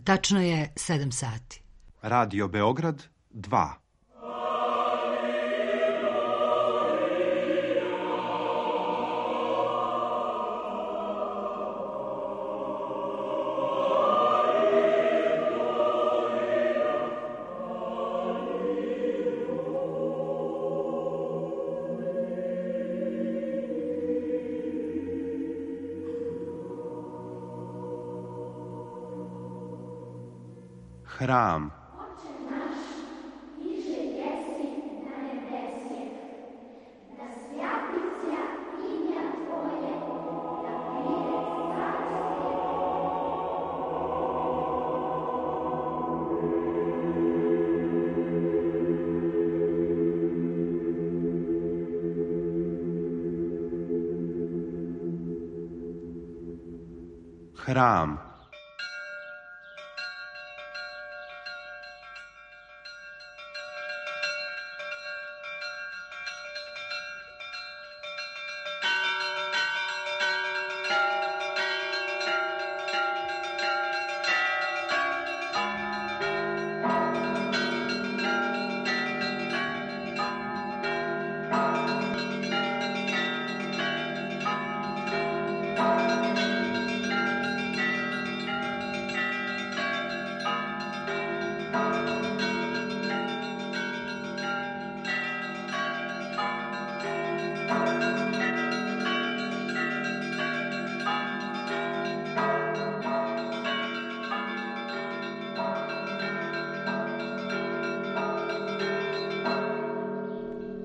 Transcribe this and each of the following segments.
Tačno je 7 sati. Radio Beograd 2. Hram. Hram.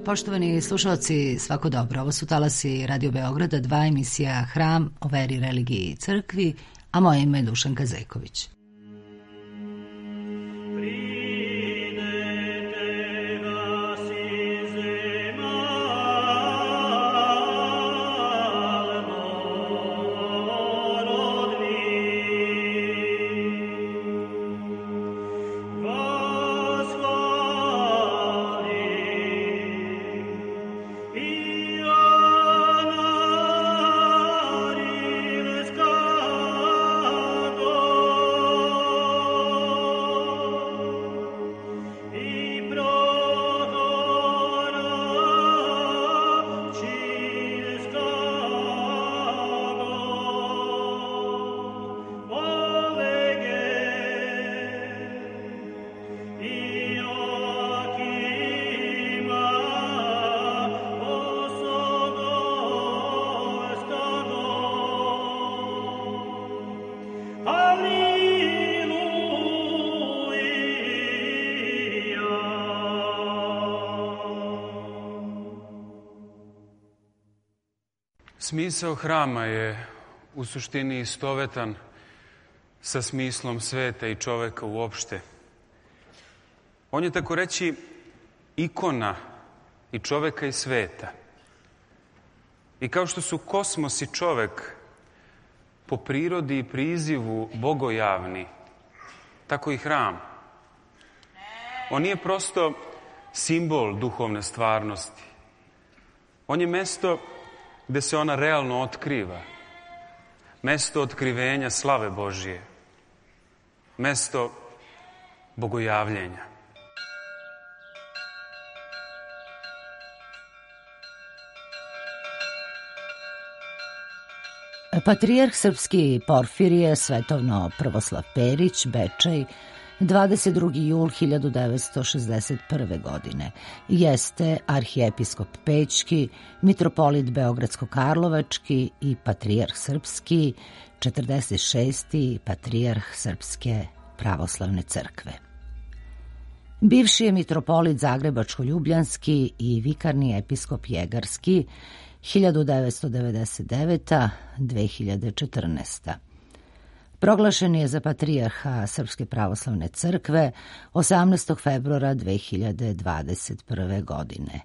Poštovani slušalci, svako dobro. Ovo su talasi Radio Beograda, 2, emisija Hram o veri, religiji i crkvi, a moje ime je Dušanka Zeković. Smisao hrama je u suštini istovetan sa smislom sveta i čoveka uopšte. On je, tako reći, ikona i čoveka i sveta. I kao što su kosmos i čovek po prirodi i prizivu bogojavni, tako i hram. On nije prosto simbol duhovne stvarnosti. On je mesto gde se ona realno otkriva. Mesto otkrivenja slave Božije. Mesto bogojavljenja. Patrijarh srpski Porfirije Svetovno Prvoslav Perić, Bečej, 22. jul 1961. godine. Jeste arhijepiskop Pećki, mitropolit Beogradsko-Karlovački i patrijarh srpski, 46. patrijarh Srpske pravoslavne crkve. Bivši je mitropolit Zagrebačko-Ljubljanski i vikarni episkop Jegarski, 1999-2014. Proglašen je za patrijarha Srpske pravoslavne crkve 18. februara 2021. godine.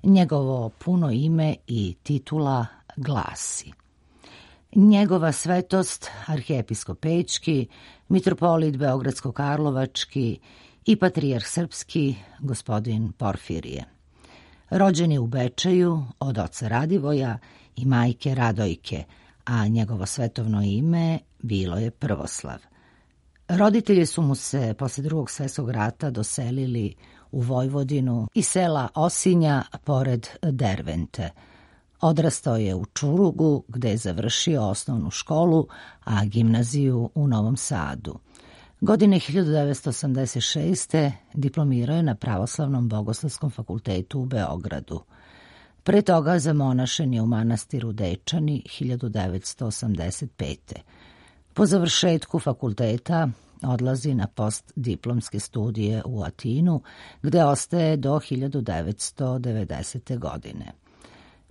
Njegovo puno ime i titula glasi: Njegova svetost, arhijepiskop Pećki, mitropolit Beogradsko-Karlovački i patrijarh srpski, gospodin Porfirije. Rođen je u Bečeju od oca Radivoja i majke Radojke, a njegovo svetovno ime bilo je Prvoslav. Roditelji su mu se posle Drugog svjetskog rata doselili u Vojvodinu i sela Osinja pored Dervente. Odrastao je u Čurugu, gde je završio osnovnu školu, a gimnaziju u Novom Sadu. Godine 1986. diplomirao je na Pravoslavnom bogoslovskom fakultetu u Beogradu. Pre toga zamonašen je u manastiru Dečani 1985. Po završetku fakulteta odlazi na postdiplomske studije u Atinu, gde ostaje do 1990. godine.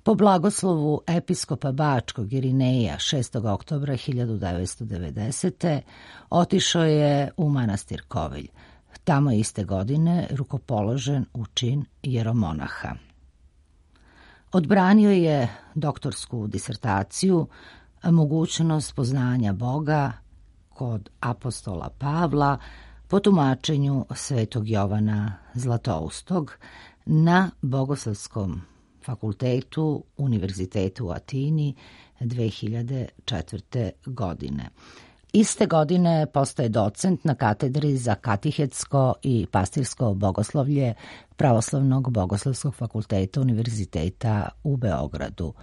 Po blagoslovu episkopa Bačkog Irineja 6. oktobra 1990. otišao je u manastir Kovilj. Tamo je iste godine rukopoložen u čin jeromonaha. Odbranio je doktorsku disertaciju Mogućnost poznanja Boga kod apostola Pavla po tumačenju svetog Jovana Zlatoustog na Bogoslovskom fakultetu Univerzitetu u Atini 2004. godine. Iste godine postaje docent na katedri za katehetsko i pastirsko bogoslovlje Pravoslavnog bogoslovskog fakulteta Univerziteta u Beogradu.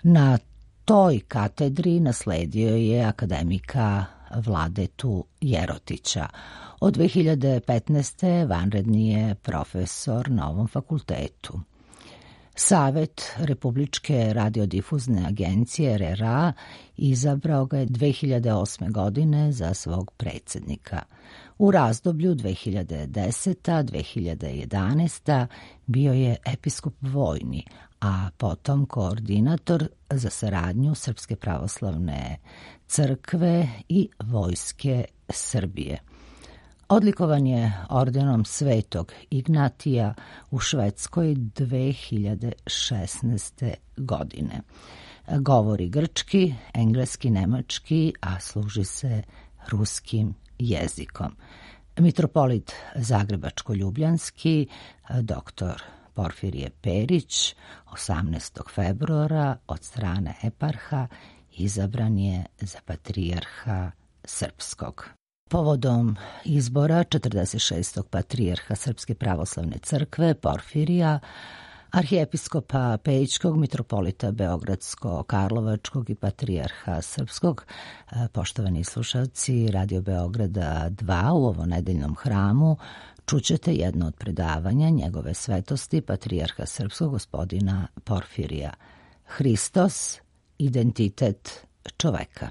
Na toj katedri nasledio je akademika Vladetu Jerotića. Od 2015. vanredni je profesor na ovom fakultetu. Savet Republičke radiodifuzne agencije RRA izabrao ga je 2008. godine za svog predsjednika. U razdoblju 2010-2011. bio je episkop vojni, a potom koordinator za saradnju Srpske pravoslavne crkve i Vojske Srbije. Odlikovan je ordenom Svetog Ignatija u Švedskoj 2016. godine. Govori grčki, engleski, nemački, a služi se ruskim jezikom. Mitropolit Zagrebačko-Ljubljanski, dr. Porfirije Perić, 18. februara od strane eparha izabran je za patrijarha srpskog. Povodom izbora 46. patrijarha Srpske pravoslavne crkve Porfirija, arhijepiskopa Pejićkog, mitropolita Beogradsko-Karlovačkog i patrijarha Srpskog, poštovani slušalci Radio Beograda 2 u ovo nedeljnom hramu, čućete jedno od predavanja njegove svetosti patrijarha Srpskog gospodina Porfirija. Hristos, identitet čoveka.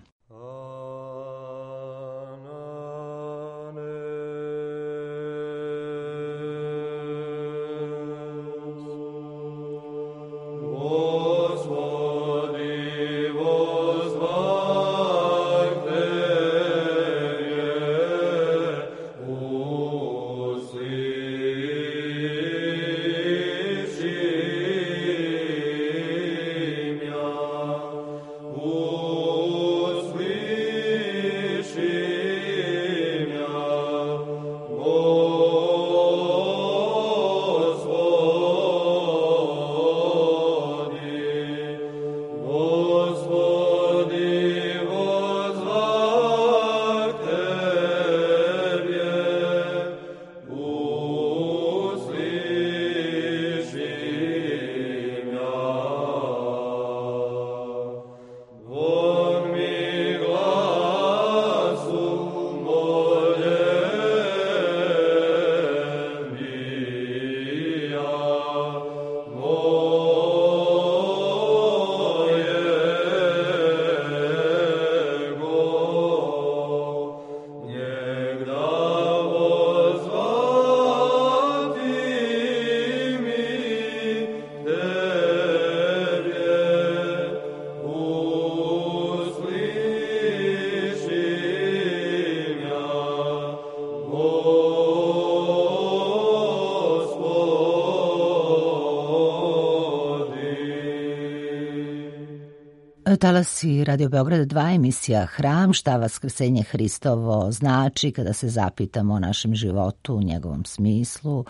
Talasi Radio Beograd 2, emisija Hram, šta vaskrsenje Hristovo znači kada se zapitamo o našem životu, njegovom smislu,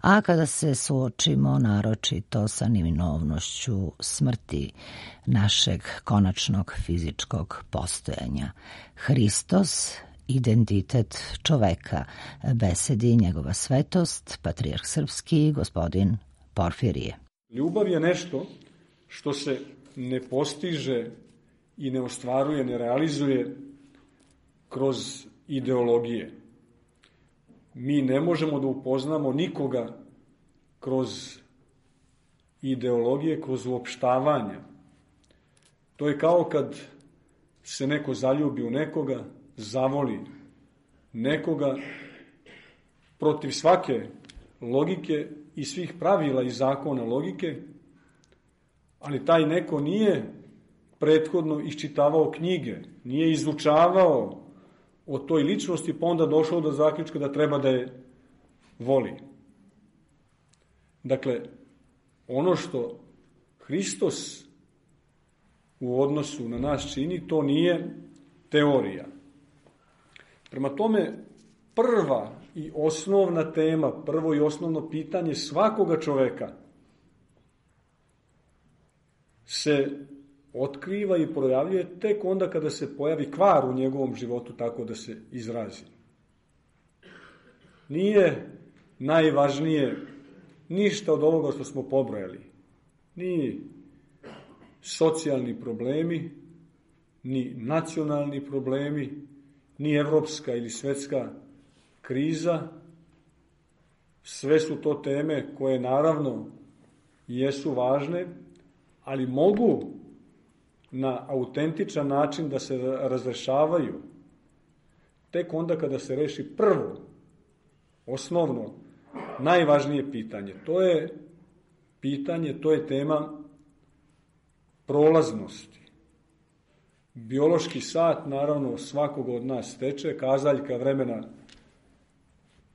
a kada se suočimo naročito sa neminovnošću smrti našeg konačnog fizičkog postojanja. Hristos, identitet čoveka. Besedi njegova svetost, patrijarh srpski, gospodin Porfirije. Ljubav je nešto što se ne postiže i ne ostvaruje, ne realizuje kroz ideologije. Mi ne možemo da upoznamo nikoga kroz ideologije, kroz uopštavanja. To je kao kad se neko zaljubi u nekoga, zavoli nekoga protiv svake logike i svih pravila i zakona logike, ali taj neko nije prethodno iščitavao knjige, nije izučavao o toj ličnosti, pa onda došao do zaključka da treba da je voli. Dakle, ono što Hristos u odnosu na nas čini, to nije teorija. Prema tome, prva i osnovna tema, prvo i osnovno pitanje svakoga čoveka se otkriva i projavljuje tek onda kada se pojavi kvar u njegovom životu, tako da se izrazi. Nije najvažnije ništa od ovoga što smo pobrojali. Ni socijalni problemi, ni nacionalni problemi, ni evropska ili svetska kriza. Sve su to teme koje naravno jesu važne, ali mogu na autentičan način da se razrešavaju tek onda kada se reši prvo, osnovno, najvažnije pitanje. To je pitanje, to je tema prolaznosti. Biološki sat, naravno, svakog od nas teče, kazaljka vremena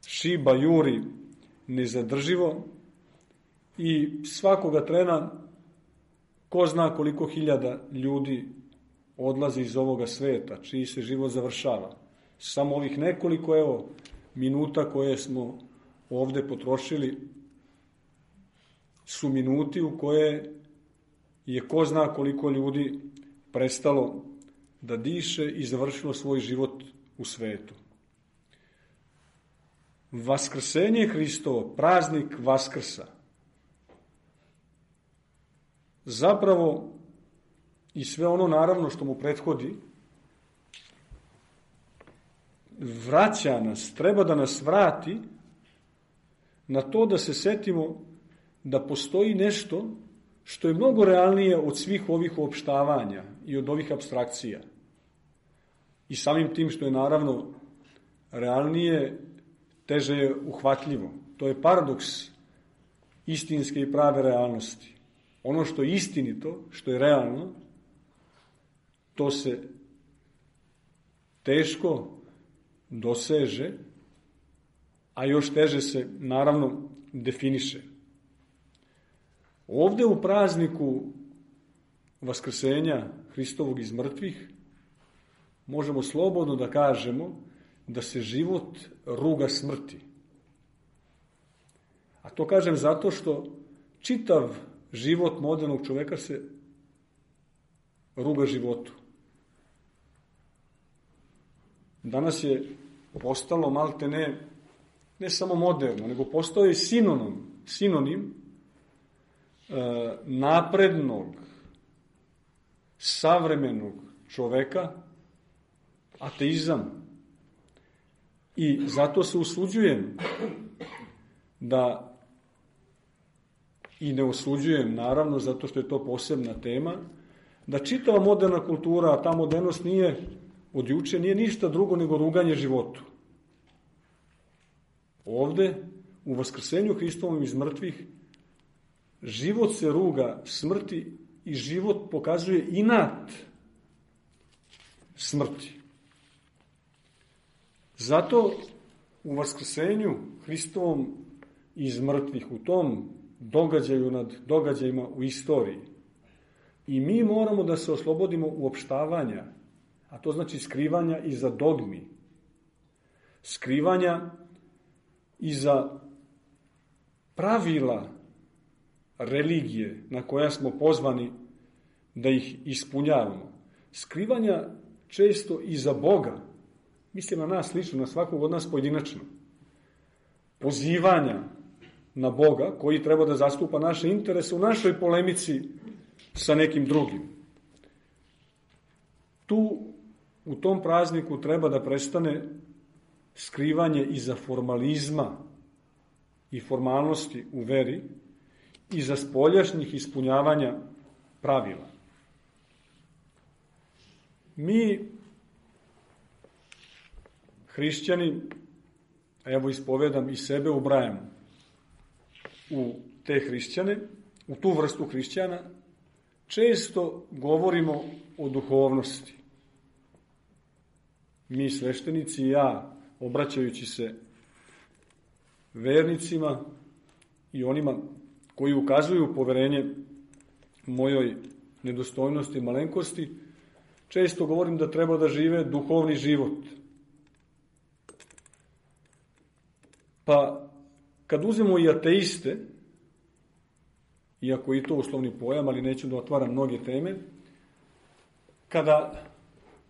šiba, juri nezadrživo i svakoga trena ko zna koliko hiljada ljudi odlazi iz ovoga sveta, čiji se život završava. Samo ovih nekoliko, minuta koje smo ovde potrošili su minuti u koje je ko zna koliko ljudi prestalo da diše i završilo svoj život u svetu. Vaskrsenje Hristovo, praznik Vaskrsa, zapravo i sve ono naravno što mu prethodi, vraća nas, treba da nas vrati na to da se setimo da postoji nešto što je mnogo realnije od svih ovih uopštavanja i od ovih apstrakcija. I samim tim što je naravno realnije, teže je uhvatljivo. To je paradoks istinske i prave realnosti. Ono što je istinito, što je realno, to se teško doseže, a još teže se naravno definiše. Ovde u prazniku Vaskrsenja Hristovog iz mrtvih možemo slobodno da kažemo da se život ruga smrti. A to kažem zato što čitav život modernog čoveka se ruga životu. Danas je postalo malte ne samo moderno, nego postao je sinonim naprednog, savremenog čoveka, ateizam. I zato se usuđujem da, i ne osuđujem naravno, zato što je to posebna tema, da čitava moderna kultura, a ta modernost nije od juče, nije ništa drugo nego ruganje životu. Ovde, u Vaskrsenju Hristovom iz mrtvih, život se ruga smrti i život pokazuje inat smrti. Zato u Vaskrsenju Hristovom iz mrtvih, u tom događaju nad događajima u istoriji, i mi moramo da se oslobodimo uopštavanja, a to znači skrivanja iza dogmi, skrivanja iza pravila religije na koja smo pozvani da ih ispunjavamo, skrivanja često iza Boga, mislim na nas lično, na svakog od nas pojedinačno, pozivanja na Boga koji treba da zastupa naše interese u našoj polemici sa nekim drugim. Tu, u tom prazniku treba da prestane skrivanje iza formalizma i formalnosti u veri, iza spoljašnjih ispunjavanja pravila. Mi, hrišćani, evo ispovedam i sebe ubrajamo u te hrišćane, u tu vrstu hrišćana, često govorimo o duhovnosti. Mi sveštenici i ja, obraćajući se vernicima i onima koji ukazuju poverenje mojoj nedostojnosti i malenkosti, često govorim da treba da žive duhovni život. Pa, kad uzmemo i ateiste, iako i to uslovni pojam, ali neću da otvaram mnoge teme, kada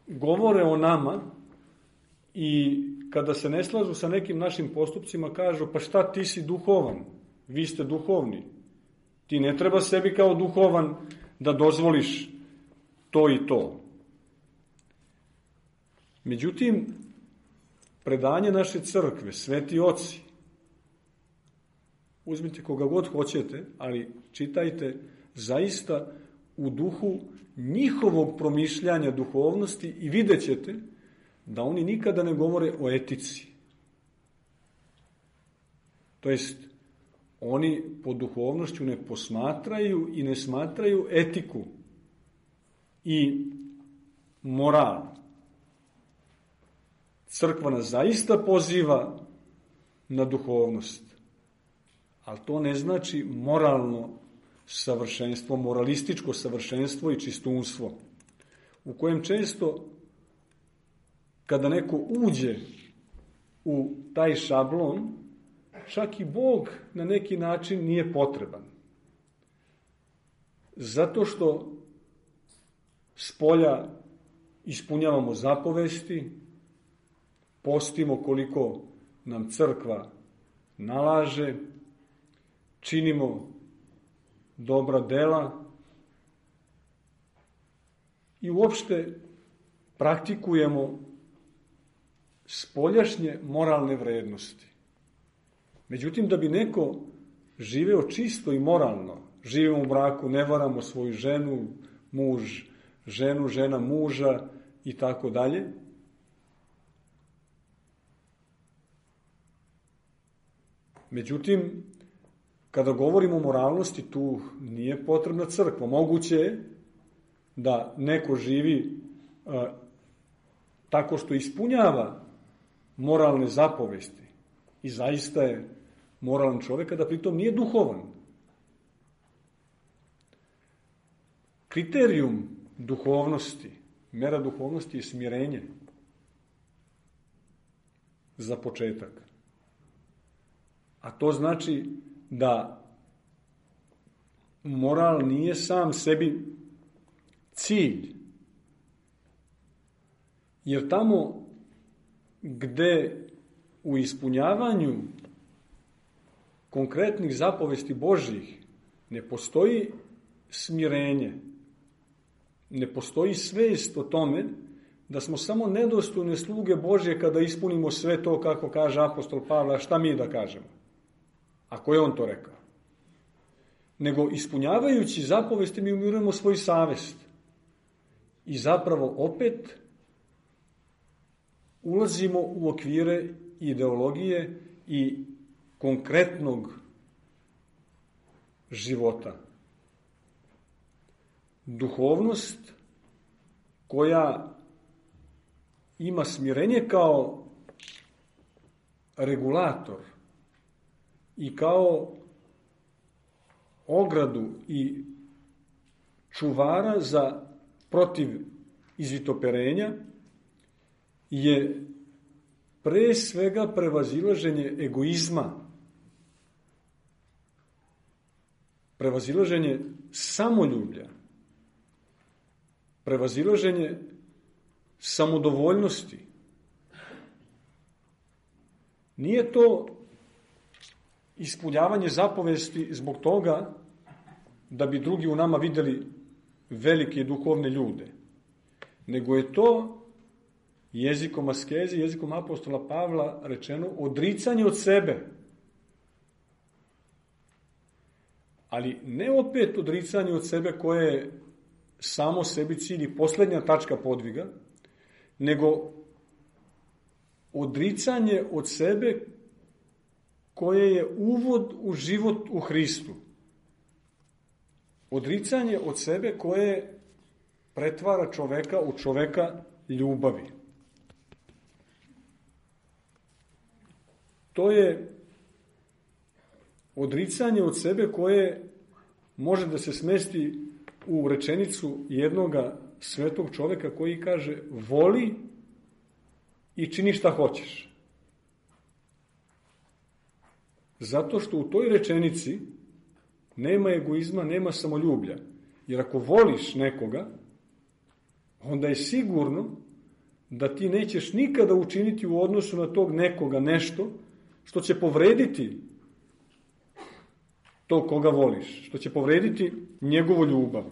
govore o nama i kada se ne slažu sa nekim našim postupcima, kažu, pa šta, ti si duhovan, vi ste duhovni. Ti ne treba sebi kao duhovan da dozvoliš to i to. Međutim, predanje naše crkve, sveti oci, uzmite koga god hoćete, ali čitajte zaista u duhu njihovog promišljanja duhovnosti i vidjet ćete da oni nikada ne govore o etici. To jest, oni po duhovnošću ne posmatraju i ne smatraju etiku i moral. Crkva nas zaista poziva na duhovnost, ali to ne znači moralno savršenstvo, moralističko savršenstvo i čistunstvo, u kojem često, kada neko uđe u taj šablon, čak i Bog na neki način nije potreban. Zato što spolja ispunjavamo zapovesti, postimo koliko nam crkva nalaže, činimo dobra dela i uopšte praktikujemo spoljašnje moralne vrednosti. Međutim, da bi neko živeo čisto i moralno, živimo u braku, ne varamo svoju ženu, muž ženu, žena muža i tako dalje, međutim, kada govorimo o moralnosti, tu nije potrebna crkva. Moguće je da neko živi tako što ispunjava moralne zapovesti i zaista je moralan čovjek, a da pritom nije duhovan. Kriterijum duhovnosti, mera duhovnosti je smirenje za početak. A to znači da moral nije sam sebi cilj. Jer tamo gde u ispunjavanju konkretnih zapovesti Božjih ne postoji smirenje, ne postoji svest o tome da smo samo nedostojne sluge Božje kada ispunimo sve to kako kaže apostol Pavle, a šta mi da kažemo? Ako je on to rekao. Nego ispunjavajući zapovesti mi umirujemo svoju savest. I zapravo opet ulazimo u okvire ideologije i konkretnog života. Duhovnost koja ima smirenje kao regulator i kao ogradu i čuvara za protiv izvitoperenja je pre svega prevazilaženje egoizma, prevazilaženje samoljublja, prevazilaženje samodovoljnosti, Nije to ispunjavanje zapovesti zbog toga da bi drugi u nama videli velike duhovne ljude, nego je to jezikom askeze, jezikom apostola Pavla rečeno odricanje od sebe. Ali ne opet odricanje od sebe koje je samo sebi cilj i posljednja tačka podviga, nego odricanje od sebe koje je uvod u život u Hristu. Odricanje od sebe koje pretvara čoveka u čoveka ljubavi. To je odricanje od sebe koje može da se smesti u rečenicu jednoga svetog čoveka koji kaže voli i čini šta hoćeš. Zato što u toj rečenici nema egoizma, nema samoljublja. Jer ako voliš nekoga, onda je sigurno da ti nećeš nikada učiniti u odnosu na tog nekoga nešto što će povrediti to koga voliš, što će povrediti njegovu ljubav.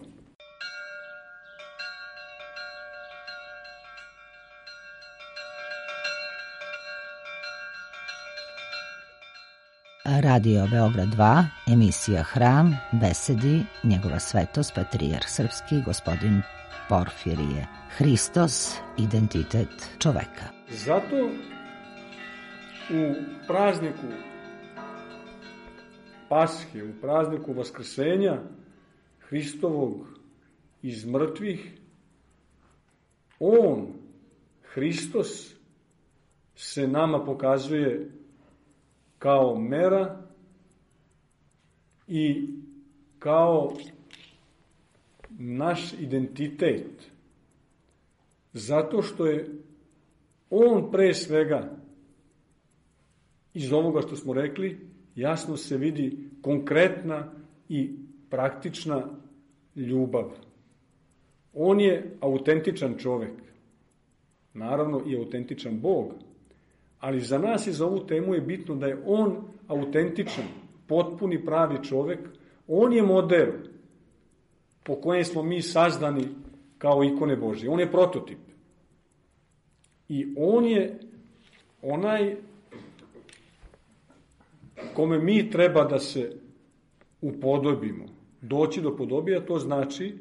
Radio Beograd 2, emisija Hram, besedi njegova svetost, patrijarh srpski, gospodin Porfirije. Hristos, identitet čoveka. Zato u prazniku Pashe, u prazniku Vaskrsenja Hristovog iz mrtvih, on, Hristos, se nama pokazuje kao mera i kao naš identitet. Zato što je on pre svega, iz ovoga što smo rekli, jasno se vidi konkretna i praktična ljubav. On je autentičan čovek. Naravno i autentičan Bog. Ali za nas i za ovu temu je bitno da je on autentičan, potpuni pravi čovek. On je model po kojem smo mi sazdani kao ikone Božje. On je prototip. I on je onaj kome mi treba da se upodobimo. Doći do podobija, to znači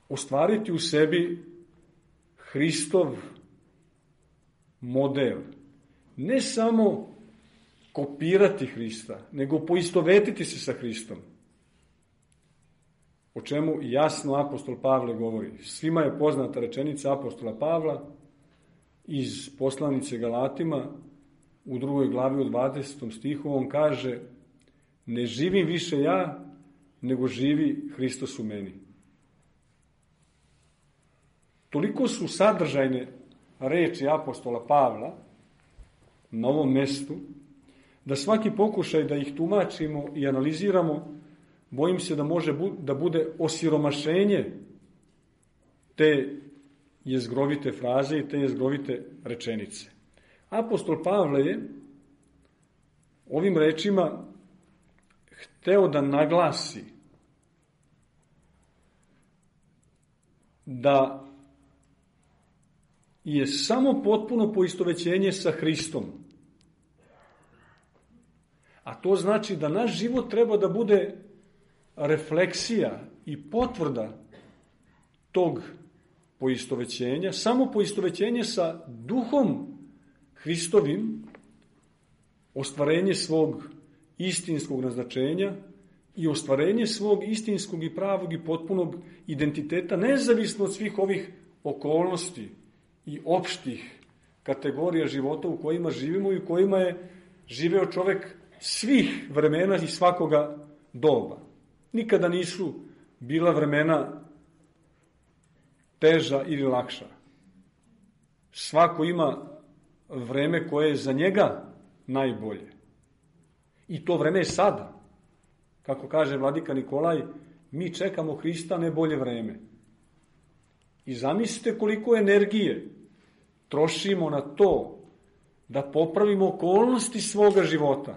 ostvariti u sebi Hristov model. Ne samo kopirati Hrista, nego poistovetiti se sa Hristom. O čemu jasno apostol Pavle govori. Svima je poznata rečenica apostola Pavla iz poslanice Galatima u 2. glavi u 20. stihu. On kaže: ne živim više ja, nego živi Hristos u meni. Toliko su sadržajne reči apostola Pavla na ovom mestu, da svaki pokušaj da ih tumačimo i analiziramo, bojim se da može da bude osiromašenje te jezgrovite fraze i te jezgrovite rečenice. Apostol Pavle je ovim rečima hteo da naglasi da je samo potpuno poistovećenje sa Hristom. A to znači da naš život treba da bude refleksija i potvrda tog poistovećenja, samo poistovećenje sa duhom Hristovim, ostvarenje svog istinskog naznačenja i ostvarenje svog istinskog i pravog i potpunog identiteta, nezavisno od svih ovih okolnosti i opštih kategorija života u kojima živimo i u kojima je živeo čovek svih vremena i svakoga doba. Nikada nisu bila vremena teža ili lakša. Svako ima vreme koje je za njega najbolje. I to vreme je sada. Kako kaže vladika Nikolaj, mi čekamo Hrista, ne bolje vreme. I zamislite koliko energije trošimo na to da popravimo okolnosti svoga života,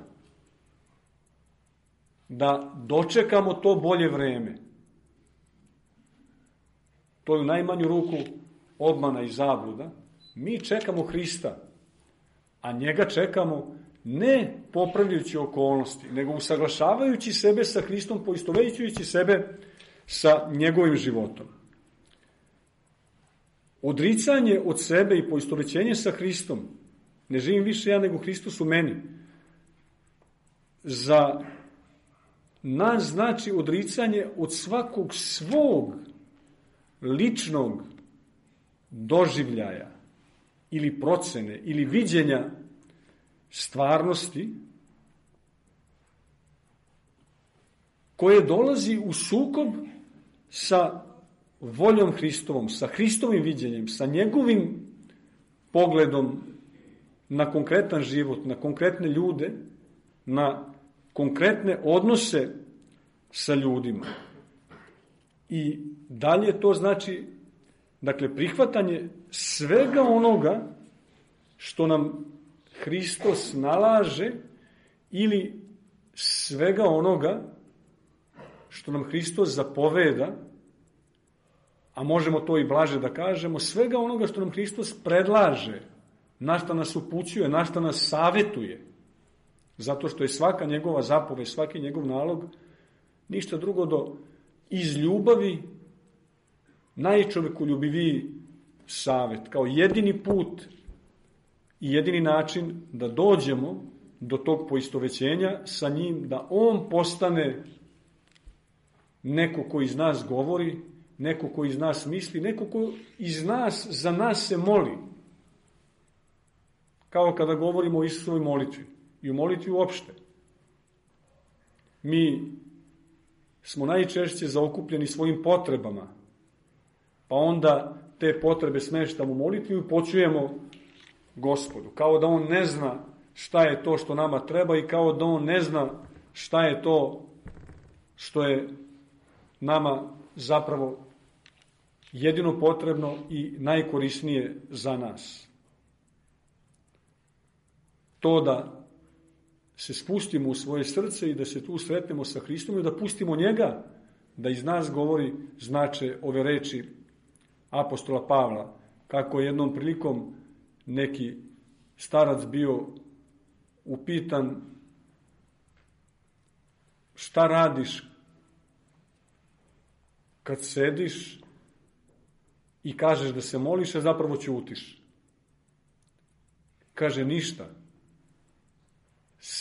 da dočekamo to bolje vreme. To je u najmanju ruku obmana i zabluda. Mi čekamo Hrista, a njega čekamo ne popravljajući okolnosti, nego usaglašavajući sebe sa Hristom, poistovećujući sebe sa njegovim životom. Odricanje od sebe i poistovećenje sa Hristom, ne živim više ja nego Hristos u meni, za nas znači odricanje od svakog svog ličnog doživljaja ili procene ili viđenja stvarnosti koje dolazi u sukob sa voljom Hristovom, sa Hristovim viđenjem, sa njegovim pogledom na konkretan život, na konkretne ljude, na konkretne odnose sa ljudima. I dalje to znači, dakle, prihvatanje svega onoga što nam Hristos nalaže ili svega onoga što nam Hristos zapoveda, a možemo to i blaže da kažemo, svega onoga što nam Hristos predlaže, na šta nas upućuje, na šta nas savetuje, zato što je svaka njegova zapoved, svaki njegov nalog, ništa drugo do iz ljubavi najčovekoljubiviji savet, kao jedini put i jedini način da dođemo do tog poistovećenja sa njim, da on postane neko ko iz nas govori, neko ko iz nas misli, neko ko iz nas, za nas se moli. Kao kada govorimo o Isusovoj molitvi i o molitvi uopšte. Mi smo najčešće zaokupljeni svojim potrebama, pa onda te potrebe smeštamo u molitvi i počujemo Gospodu. Kao da on ne zna šta je to što nama treba i kao da on ne zna šta je to što je nama zapravo jedino potrebno i najkorisnije za nas. To da se spustimo u svoje srce i da se tu sretnemo sa Hristom i da pustimo njega da iz nas govori, znače ove reči apostola Pavla, kako je jednom prilikom neki starac bio upitan šta radiš kad sediš i kažeš da se moliš, a zapravo ćutiš. Kaže ništa.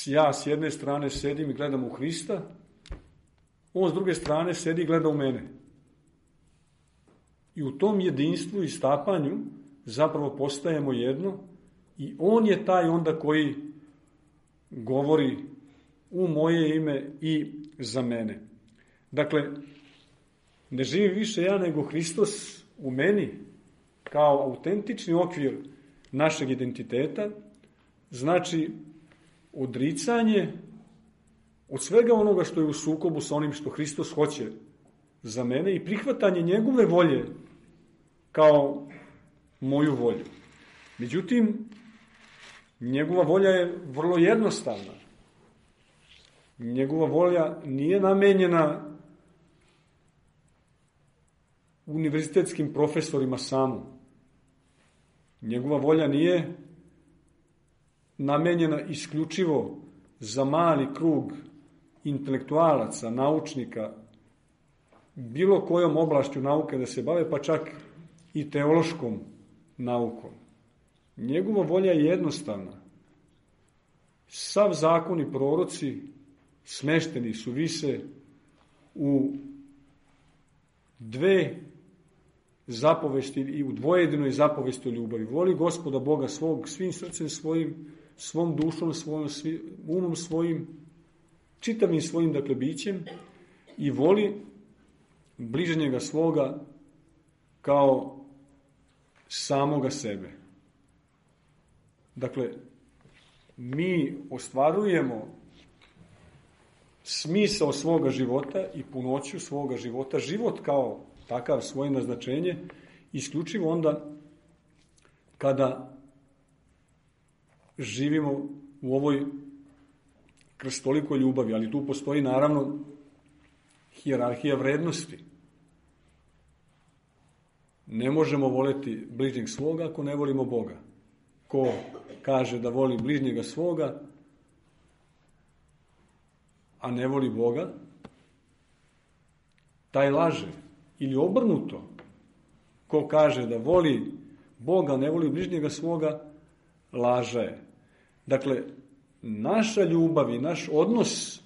Ja s jedne strane sedim i gledam u Hrista, on s druge strane sedi i gleda u mene. I u tom jedinstvu i stapanju zapravo postajemo jedno i on je taj onda koji govori u moje ime i za mene. Dakle, ne živim više ja nego Hristos u meni kao autentični okvir našeg identiteta, znači odricanje od svega onoga što je u sukobu sa onim što Hristos hoće za mene i prihvatanje njegove volje kao moju volju. Međutim, njegova volja je vrlo jednostavna. Njegova volja nije namenjena univerzitetskim profesorima samo. Njegova volja nije namenjena isključivo za mali krug intelektualaca, naučnika, bilo kojom oblašću nauke da se bave, pa čak i teološkom naukom. Njegova volja je jednostavna. Sav zakon i proroci smešteni su vise u dve zapovesti i u dvojedinoj zapovesti o ljubavi. Voli Gospoda Boga svog svim srcem svojim, svom dušom svojom, umom svojim, čitavim svojim, dakle, bićem i voli bližnjega svoga kao samoga sebe. Dakle, mi ostvarujemo smisao svoga života i punoću svoga života, život kao takav, svoje naznačenje, isključivo onda kada živimo u ovoj krstolikoj ljubavi, ali tu postoji naravno hijerarhija vrednosti. Ne možemo voleti bližnjeg svoga ako ne volimo Boga. Ko kaže da voli bližnjega svoga, a ne voli Boga, taj laže. Ili obrnuto, ko kaže da voli Boga, ne voli bližnjega svoga, laže je. Dakle, naša ljubav i naš odnos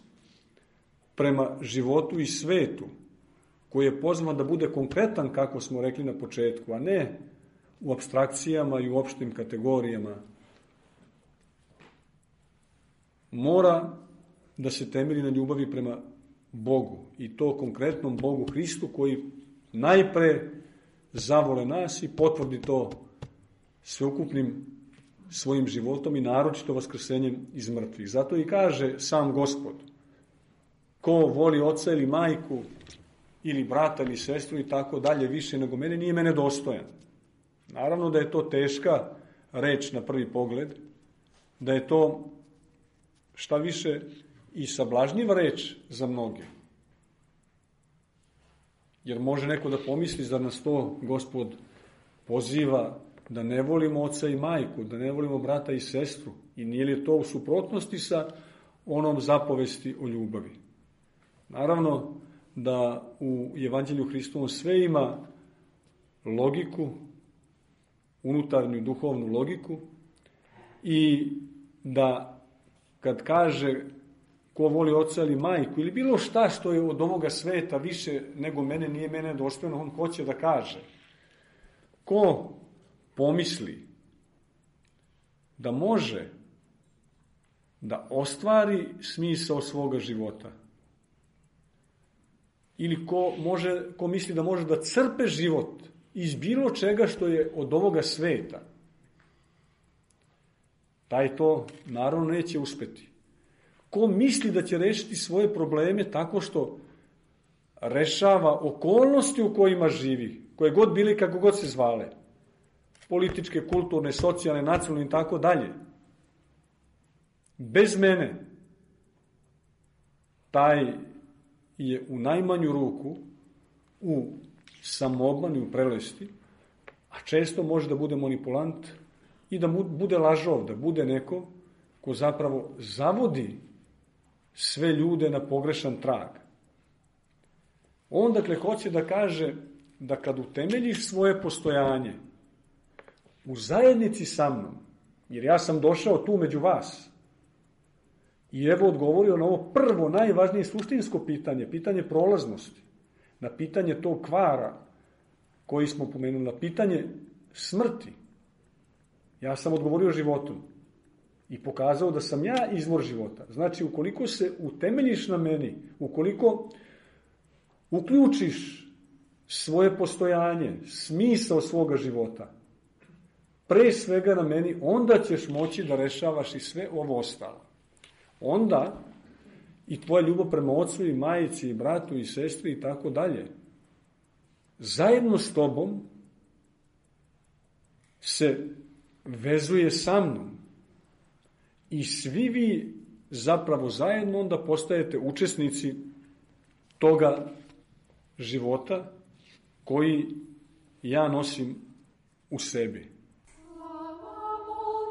prema životu i svetu, koji je pozvan da bude konkretan, kako smo rekli na početku, a ne u apstrakcijama i u opštim kategorijama, mora da se temelji na ljubavi prema Bogu, i to konkretnom Bogu Hristu, koji najpre zavole nas i potvrdi to sveukupnim svojim životom i naročito vaskrsenjem iz mrtvih. Zato i kaže sam Gospod: ko voli oca ili majku ili brata ili sestru i tako dalje više nego mene, nije mene dostojan. Naravno da je to teška reč na prvi pogled, da je to šta više i sablažnjiva reč za mnoge. Jer može neko da pomisli, zar nas to Gospod poziva da ne volimo oca i majku, da ne volimo brata i sestru, i nije li to u suprotnosti sa onom zapovesti o ljubavi? Naravno da u Evanđelju Hristovom sve ima logiku, unutarnju duhovnu logiku, i da kad kaže ko voli oca ili majku ili bilo šta što je od ovoga sveta više nego mene, nije mene dostojno, on hoće da kaže: ko pomisli da može da ostvari smisao svoga života, ili ko misli da može da crpe život iz bilo čega što je od ovoga sveta, taj to naravno neće uspeti. Ko misli da će rešiti svoje probleme tako što rešava okolnosti u kojima živi, koje god bili, kako god se zvale, političke, kulturne, socijalne, nacionalne i tako dalje, bez mene, taj je u najmanju ruku u samoobmani, u prelesti, a često može da bude manipulant i da bude lažov, da bude neko ko zapravo zavodi sve ljude na pogrešan trag. On dakle hoće da kaže da kad utemeljiš svoje postojanje u zajednici sa mnom, jer ja sam došao tu među vas, i evo odgovorio na ovo prvo, najvažnije suštinsko pitanje, pitanje prolaznosti, na pitanje tog kvara koji smo pomenuli, na pitanje smrti. Ja sam odgovorio životom i pokazao da sam ja izvor života. Znači, ukoliko se utemeljiš na meni, ukoliko uključiš svoje postojanje, smisao svoga života, pre svega na meni, onda ćeš moći da rešavaš i sve ovo ostalo. Onda i tvoja ljubav prema ocu i majici i bratu i sestri i tako dalje, zajedno s tobom se vezuje sa mnom, i svi vi zapravo zajedno onda postajete učesnici toga života koji ja nosim u sebi. Amen.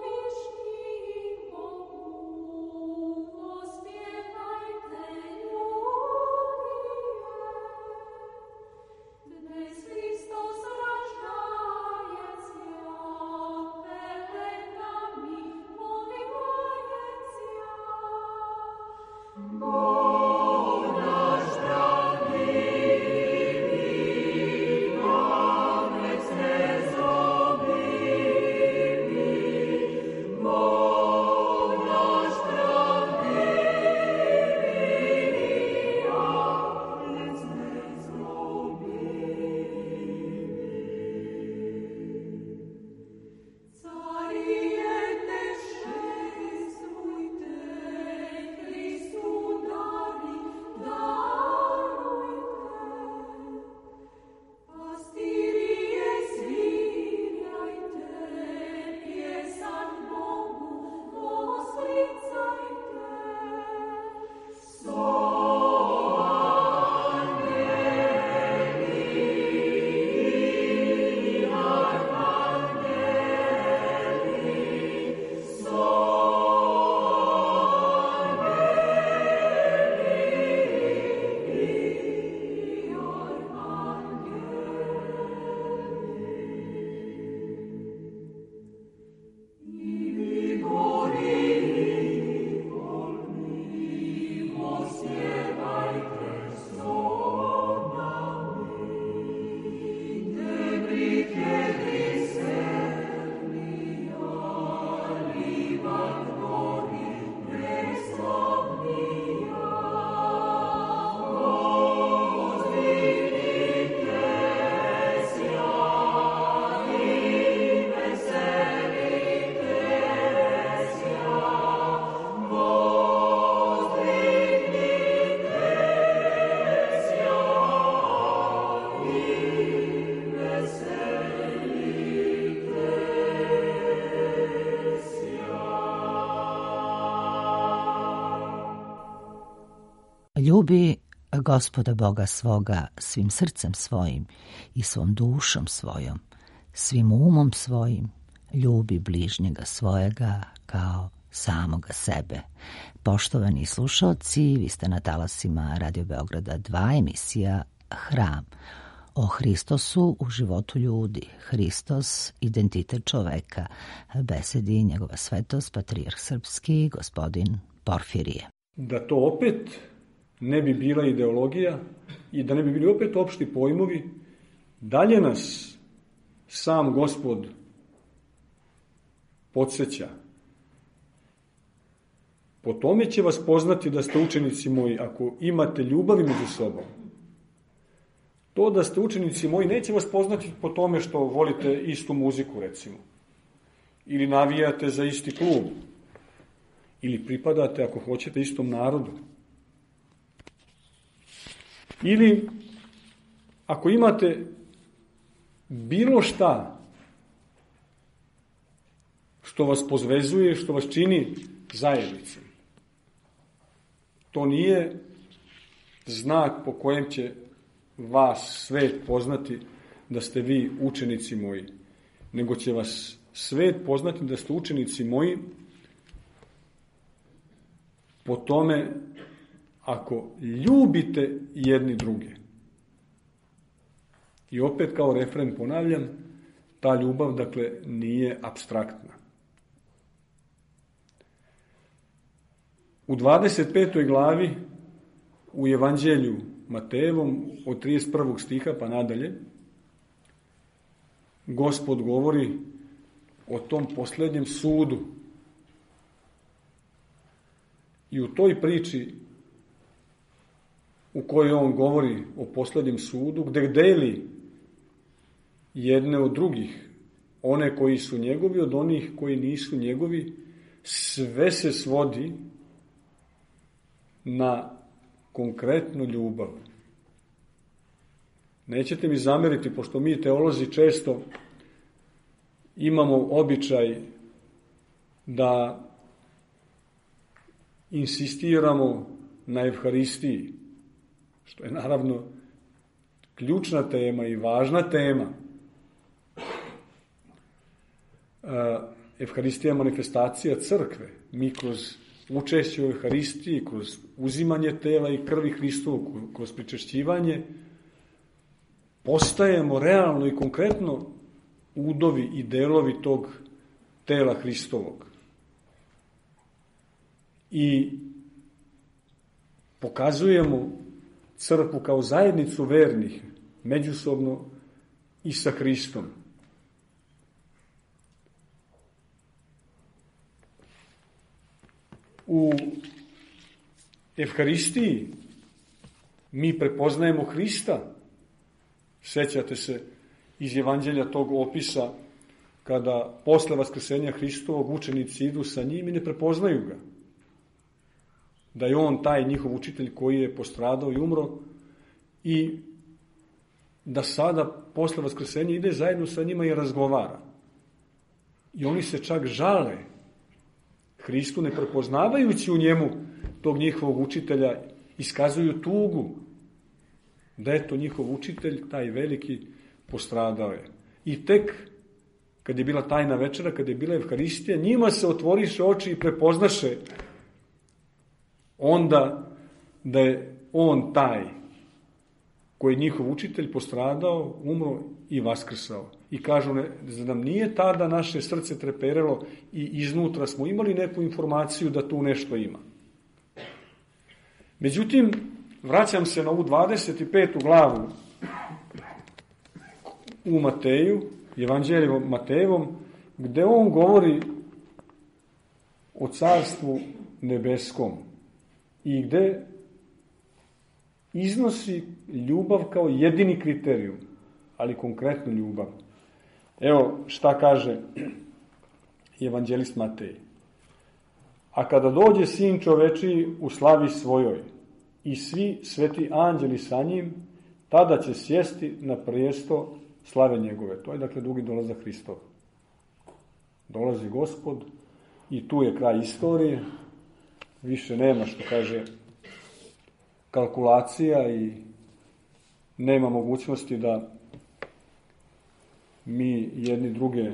Ljubi Gospoda Boga svoga svim srcem svojim i svom dušom svojom, svim umom svojim, ljubi bližnjega svojega kao samoga sebe. Poštovani slušaoci, vi ste na talasima Radio Beograda 2, emisija Hram. O Hristosu u životu ljudi. Hristos, identitet čoveka. Besedi njegova svetost, patrijarh srpski, gospodin Porfirije. Da to opet ne bi bila ideologija i da ne bi bili opet opšti pojmovi, dalje nas sam Gospod podsjeća. Po tome će vas poznati da ste učenici moji, ako imate ljubavi među sobom. To da ste učenici moji neće vas poznati po tome što volite istu muziku, recimo. Ili navijate za isti klub. Ili pripadate, ako hoćete, istom narodu. Ili ako imate bilo šta što vas pozvezuje, što vas čini zajednicom. To nije znak po kojem će vas svet poznati da ste vi učenici moji, nego će vas svet poznati da ste učenici moji po tome ako ljubite jedni druge. I opet kao refren ponavljam, ta ljubav, dakle, nije apstraktna. U 25. glavi u Evanđelju Matejevom od 31. stiha pa nadalje Gospod govori o tom posljednjem sudu. I u toj priči u kojoj on govori o posljednjem sudu, gde deli jedne od drugih, one koji su njegovi od onih koji nisu njegovi, sve se svodi na konkretnu ljubav. Nećete mi zameriti, pošto mi teolozi često imamo običaj da insistiramo na Evharistiji, što je naravno ključna tema i važna tema. Evharistija je manifestacija crkve. Mi kroz učešće u Evharistiji, kroz uzimanje tela i krvi Hristovog, kroz pričešćivanje, postajemo realno i konkretno udovi i delovi tog tela Hristovog. I pokazujemo crkvu kao zajednicu vernih, međusobno i sa Hristom. U Evharistiji mi prepoznajemo Hrista. Sećate se iz Evanđelja tog opisa kada posle vaskrsenja Hristovog učenici idu sa njim i ne prepoznaju ga. Da je on taj njihov učitelj koji je postradao i umro i da sada posle vaskrsenja ide zajedno sa njima i razgovara. I oni se čak žale Hristu, ne prepoznavajući u njemu tog njihovog učitelja, iskazuju tugu da je to njihov učitelj, taj veliki, postradao je. I tek kad je bila tajna večera, kad je bila Evharistija, njima se otvoriše oči i prepoznaše onda da je on taj koji je njihov učitelj postradao, umro i vaskrsao. I kažu, da nam nije tada naše srce treperelo i iznutra smo imali neku informaciju da tu nešto ima. Međutim, vraćam se na ovu 25. glavu u Mateju, Evanđelju Matejevom, gde on govori o carstvu nebeskom i gde iznosi ljubav kao jedini kriterijum, ali konkretnu ljubav. Evo šta kaže evanđelist Matej. A kada dođe sin čovečiji u slavi svojoj i svi sveti anđeli sa njim, tada će sjesti na prijesto slave njegove. To je dakle drugi dolazak Hristov. Dolazi Gospod i tu je kraj istorije. Više nema, što kaže kalkulacija i nema mogućnosti da mi jedni druge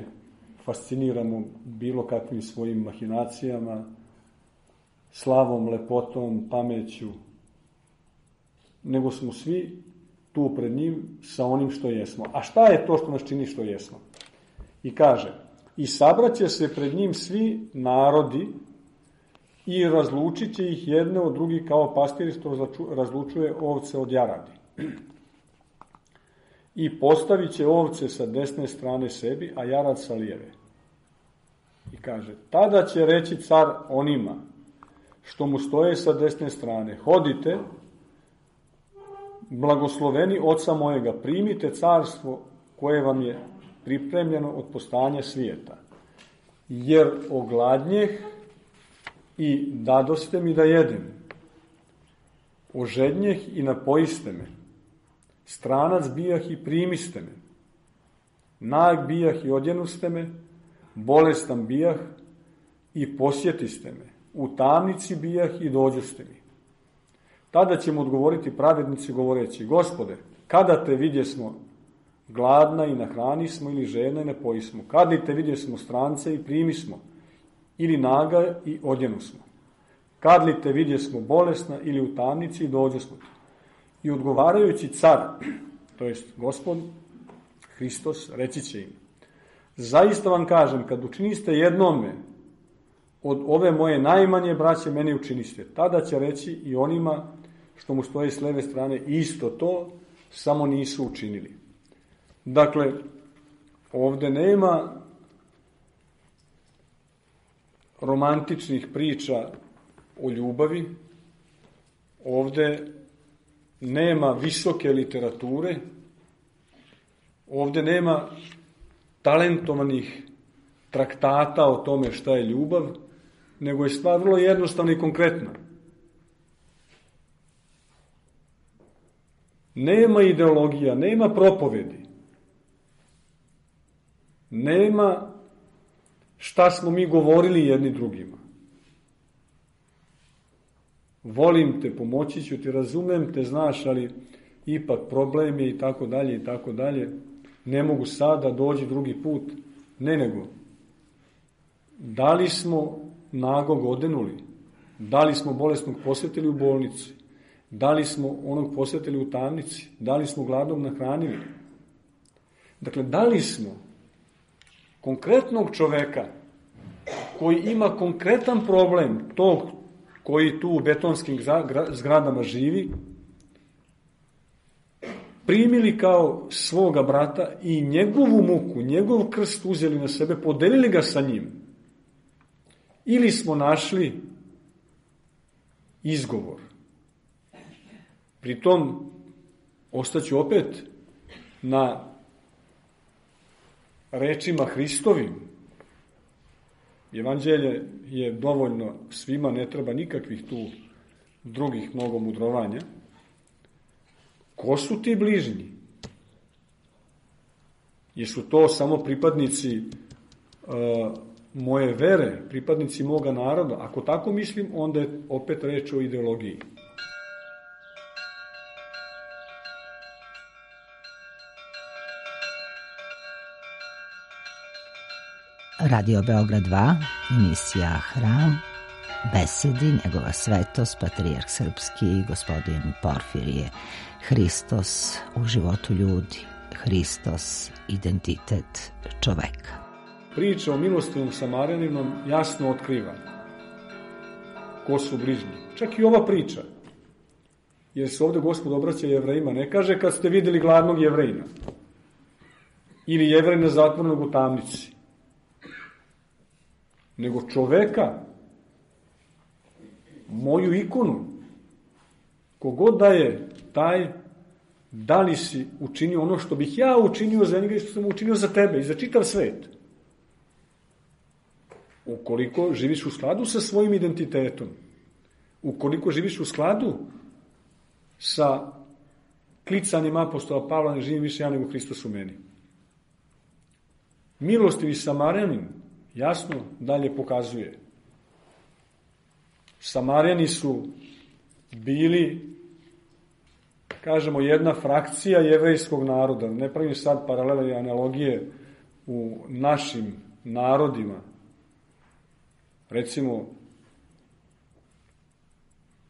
fasciniramo bilo kakvim svojim mahinacijama, slavom, lepotom, pameću, nego smo svi tu pred njim sa onim što jesmo. A šta je to što nas čini što jesmo? I kaže, i sabraće se pred njim svi narodi i razlučit će ih jedne od drugih kao pastir što razlučuje ovce od jaradi. I postavit će ovce sa desne strane sebi, a jarad sa lijeve. I kaže, tada će reći car onima što mu stoje sa desne strane, hodite, blagosloveni oca mojega, primite carstvo koje vam je pripremljeno od postojanja svijeta. Jer ogladnjeh i dadoste mi da jedem, ožednjeh i napojiste me, stranac bijah i primiste me, nag bijah i odjenuste me, bolestan bijah i posjetiste me, u tamnici bijah i dođoste mi. Tada ćemo odgovoriti pravednici govoreći, Gospode, kada te vidjesmo gladna i nahranismo ili žedna i napojismo, kada te vidjesmo strance i primismo, ili naga i odjenusmo, kad li te vidjesmo bolesna ili u tamnici i dođosmo. I odgovarajući car, to jest Gospod Hristos, reći će im, zaista vam kažem, kad učiniste jednome od ove moje najmanje braće, meni učiniste. Tada će reći i onima što mu stoje s leve strane isto to, samo nisu učinili. Dakle, ovde nema romantičnih priča o ljubavi, ovde nema visoke literature, ovde nema talentovanih traktata o tome šta je ljubav, nego je stvar vrlo jednostavna i konkretna. Nema ideologija, nema propovedi, nema šta smo mi govorili jedni drugima. Volim te, pomoći ću ti, razumem te, znaš, ali ipak problem je i tako dalje i tako dalje. Ne mogu sada, dođi drugi put. Ne, nego da li smo nagog odenuli, da li smo bolesnog posjetili u bolnici, da li smo onog posjetili u tamnici, da li smo gladnog nahranili. Dakle, da li smo konkretnog čoveka koji ima konkretan problem, tog koji tu u betonskim zgradama živi, primili kao svoga brata i njegovu muku, njegov krst uzeli na sebe, podelili ga sa njim. Ili smo našli izgovor. Pritom, ostaću opet na rečima Hristovim. Evanđelje je dovoljno svima, ne treba nikakvih tu drugih mnogo mudrovanja. Ko su ti bližnji? Jesu to samo pripadnici moje vere, pripadnici moga naroda? Ako tako mislim, onda je opet reč o ideologiji. Radio Beograd 2, emisija Hram, besedi njegova svetost, patrijarh srpski, gospodin Porfirije. Hristos u životu ljudi, Hristos identitet čoveka. Priča o milostivom Samarjaninu jasno otkriva ko su bližnji. Čak i ova priča, jer se ovde Gospod obraća Jevrejima, ne kaže kad ste videli gladnog Jevrejina ili Jevrejina zatvornog u tamnici, nego čoveka, moju ikonu. Kogod da je taj, da li si učinio ono što bih ja učinio za njega i što sam učinio za tebe i za čitav svet. Ukoliko živiš u skladu sa svojim identitetom, ukoliko živiš u skladu sa klicanjem apostola Pavla, ne živim više ja nego Hristos u meni. Milostivi Samarjanin jasno dalje pokazuje. Samarjani su bili kažemo, jedna frakcija jevrejskog naroda. Ne pravim sad paralele i analogije u našim narodima. Recimo,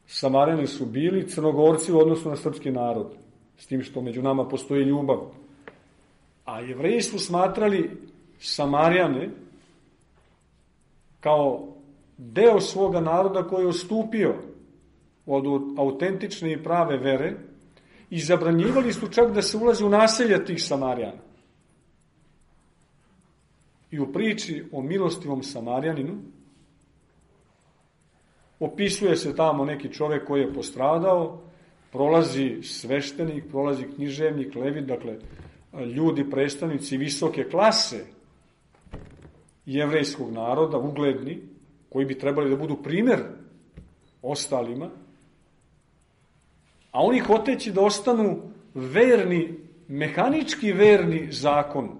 Samarjani su bili Crnogorci u odnosu na srpski narod, s tim što među nama postoji ljubav. A Jevreji su smatrali Samarjane kao deo svoga naroda koji je odstupio od autentične i prave vere i zabranjivali su čak da se ulazi u naselja tih Samarjana. I u priči o milostivom Samarjaninu opisuje se tamo neki čovek koji je postradao, prolazi sveštenik, prolazi književnik, levit, dakle, ljudi, predstavnici visoke klase jevrejskog naroda, ugledni, koji bi trebali da budu primer ostalima, a oni hoteći da ostanu verni, mehanički verni zakonu,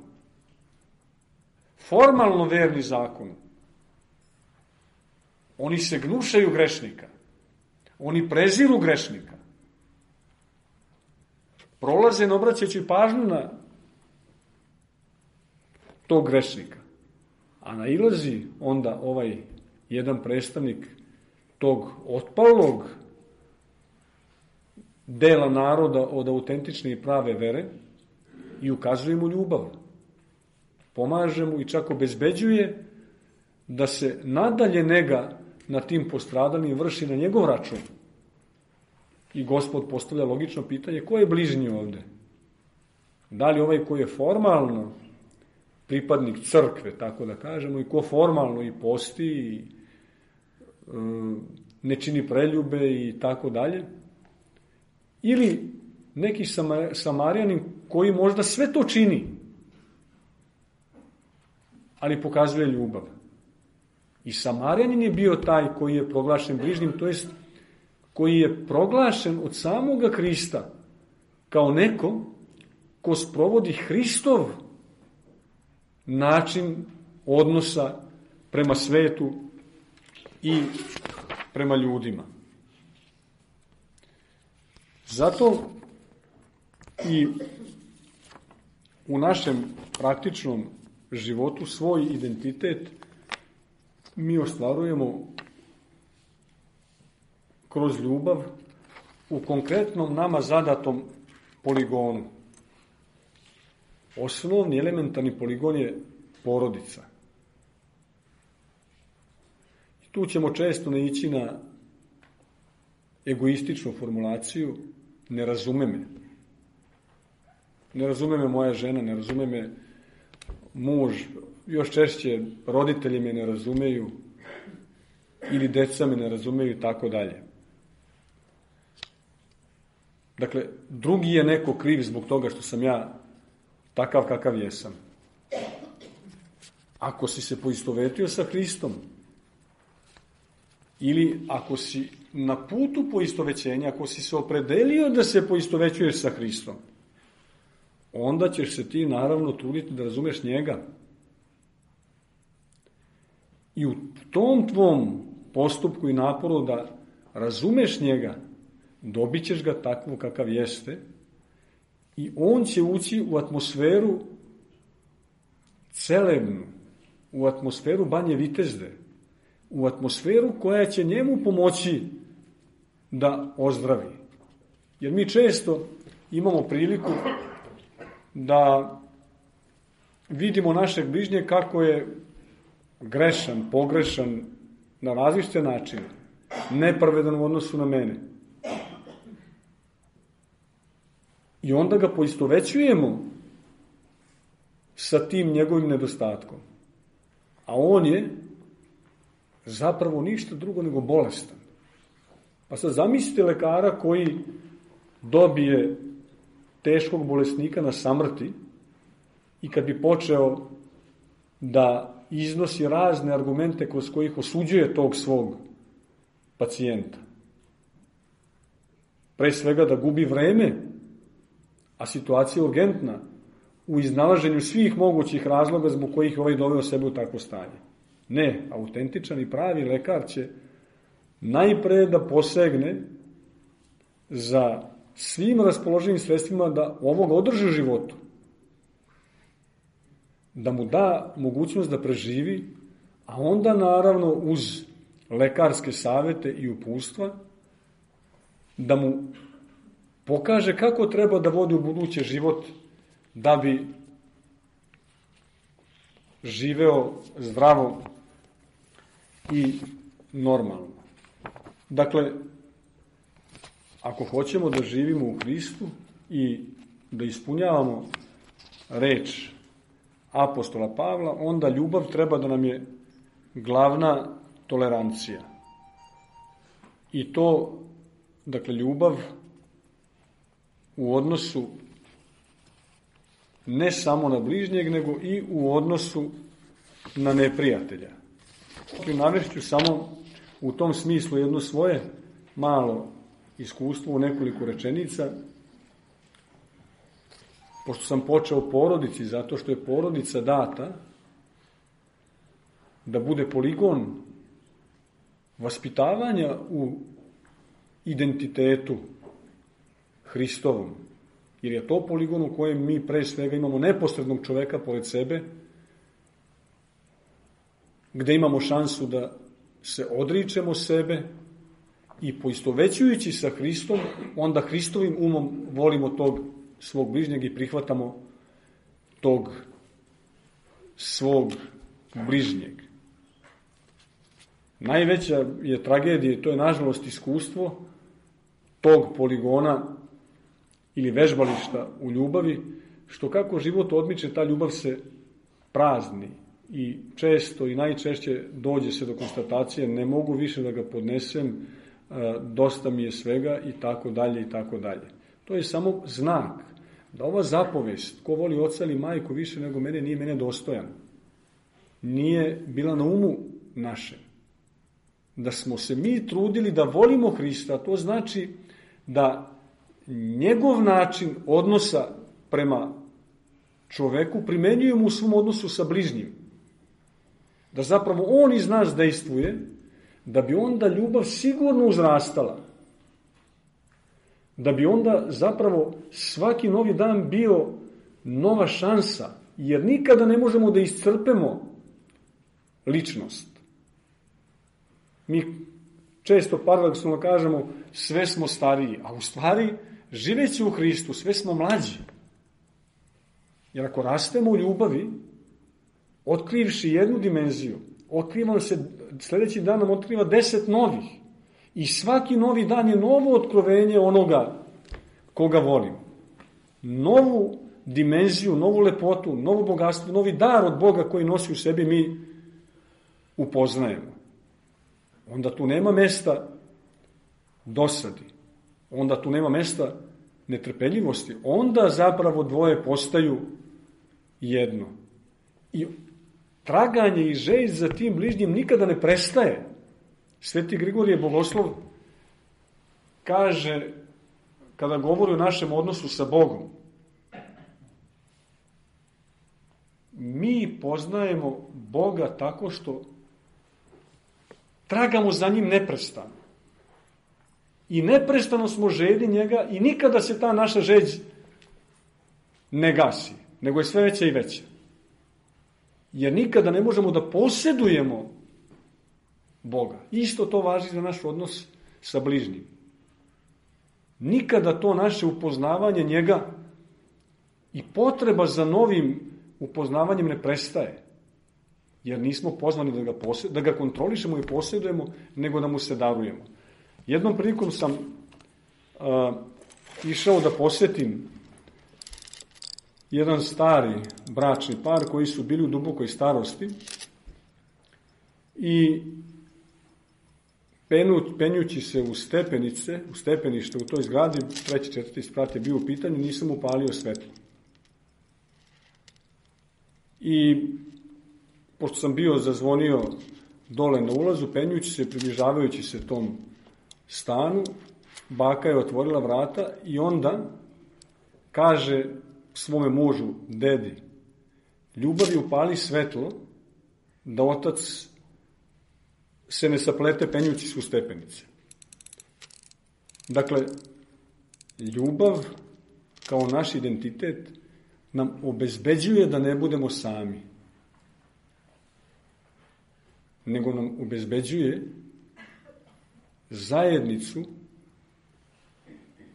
formalno verni zakonu. Oni se gnušaju grešnika. Oni preziru grešnika. Prolaze ne obraćajući pažnju na tog grešnika. A nailazi onda ovaj jedan predstavnik tog otpalog dela naroda od autentične i prave vere i ukazuje mu ljubav. Pomaže mu i čak obezbeđuje da se nadalje nega na tim postradanim vrši na njegov račun. I Gospod postavlja logično pitanje, ko je bližnji ovde? Da li ovaj koji je formalno pripadnik crkve, tako da kažemo, i ko formalno i posti i ne čini preljube i tako dalje? Ili neki Samarjanin koji možda sve to čini, ali pokazuje ljubav. I Samarjanin je bio taj koji je proglašen bližnjim, to jest koji je proglašen od samoga Hrista kao neko ko sprovodi Hristov način odnosa prema svetu i prema ljudima. Zato i u našem praktičnom životu svoj identitet mi ostvarujemo kroz ljubav u konkretnom nama zadatom poligonu. Osnovni elementarni poligon je porodica. I tu ćemo često naići na egoističnu formulaciju ne razume me. Ne razume me moja žena, ne razume me muž, još češće roditelji me ne razumeju ili deca me ne razumeju i tako dalje. Dakle, drugi je neko kriv zbog toga što sam ja takav kakav jesam. Ako si se poistovetio sa Hristom ili ako si na putu poistovećenja, ako si se opredelio da se poistovećuješ sa Hristom, onda ćeš se ti naravno truditi da razumeš njega. I u tom tvom postupku i naporu da razumeš njega, dobit ćeš ga takvo kakav jeste i on će ući u atmosferu celebnu, u atmosferu Banje Vitezde, u atmosferu koja će njemu pomoći da ozdravi. Jer mi često imamo priliku da vidimo našeg bližnjeg kako je grešan, pogrešan na različite načine, nepravedan u odnosu na mene. I onda ga poistovećujemo sa tim njegovim nedostatkom. A on je zapravo ništa drugo nego bolestan. Pa sad zamislite lekara koji dobije teškog bolesnika na samrti i kad bi počeo da iznosi razne argumente kroz kojih osuđuje tog svog pacijenta. Pre svega da gubi vreme, a situacija je urgentna u iznalaženju svih mogućih razloga zbog kojih ovaj doveo sebe u takvo stanje. Ne, autentičan i pravi lekar će najpre da posegne za svim raspoloženim sredstvima da ovoga održi u životu. Da mu da mogućnost da preživi, a onda naravno uz lekarske savete i uputstva da mu pokaže kako treba da vodi u buduće život da bi živeo zdravo i normalno. Dakle, ako hoćemo da živimo u Hristu i da ispunjavamo reč apostola Pavla, onda ljubav treba da nam je glavna tolerancija. I to, dakle, ljubav u odnosu ne samo na bližnjeg, nego i u odnosu na neprijatelja. Navešću samo u tom smislu jedno svoje malo iskustvo u nekoliko rečenica, pošto sam počeo o porodici, zato što je porodica data da bude poligon vaspitavanja u identitetu Hristovom, jer je to poligon u kojem mi pre svega imamo neposrednog čoveka pored sebe, gde imamo šansu da se odričemo sebe i poistovećujući sa Hristom, onda Hristovim umom volimo tog svog bližnjeg i prihvatamo tog svog bližnjeg. Najveća je tragedija, to je nažalost iskustvo tog poligona ili vežbališta u ljubavi, što kako život odmiče, ta ljubav se prazni i često i najčešće dođe se do konstatacije ne mogu više da ga podnesem, dosta mi je svega i tako dalje i tako dalje. To je samo znak da ova zapovest, ko voli oca ili majku više nego mene, nije mene dostojan. Nije bila na umu našem. Da smo se mi trudili da volimo Hrista, to znači da njegov način odnosa prema čoveku primenjujemo u svom odnosu sa bližnjim. Da zapravo on iz nas dejstvuje, da bi onda ljubav sigurno uzrastala. Da bi onda zapravo svaki novi dan bio nova šansa, jer nikada ne možemo da iscrpemo ličnost. Mi često paradoksalno kažemo sve smo stariji, a u stvari živeći u Hristu sve smo mlađi. Jer ako rastemo u ljubavi, otkrivši jednu dimenziju, otkriva se, sljedeći dan nam otkriva 10 novih. I svaki novi dan je novo otkrovenje onoga koga volim. Novu dimenziju, novu lepotu, novo bogatstvo, novi dar od Boga koji nosi u sebi mi upoznajemo. Onda tu nema mesta dosadi. Onda tu nema mesta netrpeljivosti. Onda zapravo dvoje postaju jedno. I traganje i želj za tim bližnjim nikada ne prestaje. Sveti Grigorije Bogoslov kaže, kada govori o našem odnosu sa Bogom, mi poznajemo Boga tako što tragamo za njim neprestano. I neprestano smo željni njega i nikada se ta naša želj ne gasi, nego je sve veća i veća. Jer nikada ne možemo da posjedujemo Boga. Isto to važi za naš odnos sa bližnjim. Nikada to naše upoznavanje njega i potreba za novim upoznavanjem ne prestaje. Jer nismo pozvani da ga kontrolišemo i posjedujemo, nego da mu se darujemo. Jednom prilikom sam išao da posjetim jedan stari bračni par koji su bili u dubokoj starosti i penjući se u stepenište u toj zgradi, 3. 4. sprat je bio u pitanju, nisam upalio svetlo. I pošto sam bio zazvonio dole na ulazu, penjući se, približavajući se tom stanu, baka je otvorila vrata i onda kaže svome mužu, dedi, ljubavi upali svetlo da otac se ne saplete penjući se u stepenice. Dakle, Ljubav kao naš identitet nam obezbeđuje da ne budemo sami, nego nam obezbeđuje zajednicu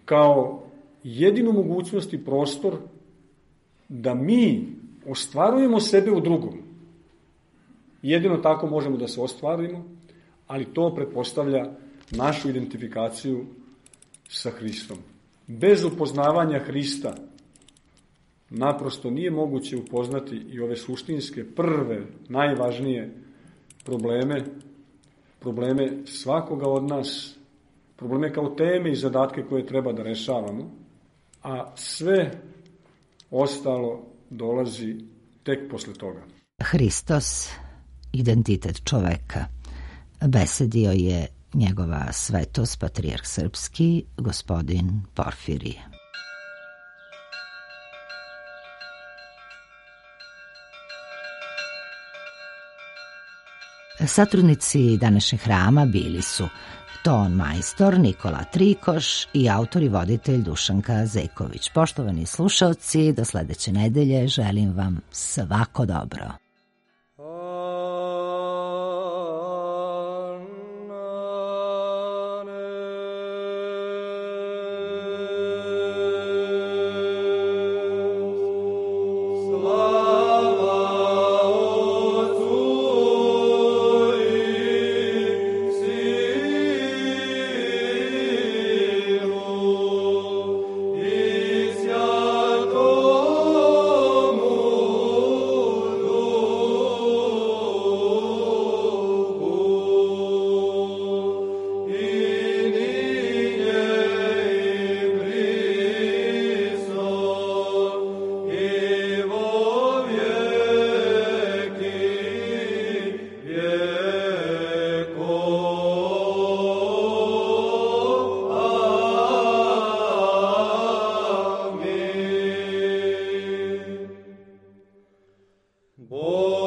kao jedinu mogućnost i prostor da mi ostvarujemo sebe u drugom. Jedino tako možemo da se ostvarimo, ali to pretpostavlja našu identifikaciju sa Hristom. Bez upoznavanja Hrista naprosto nije moguće upoznati i ove suštinske, prve, najvažnije probleme svakoga od nas, probleme kao teme i zadatke koje treba da rešavamo, a sve ostalo dolazi tek posle toga. Hristos, identitet čoveka, besedio je njegova svetost, patrijarh srpski, gospodin Porfirije. Satrudnici današnjeg hrama bili su ton majstor Nikola Trikoš i autor i voditelj Dušanka Zeković. Poštovani slušaoci, do sledeće nedelje želim vam svako dobro. Lord.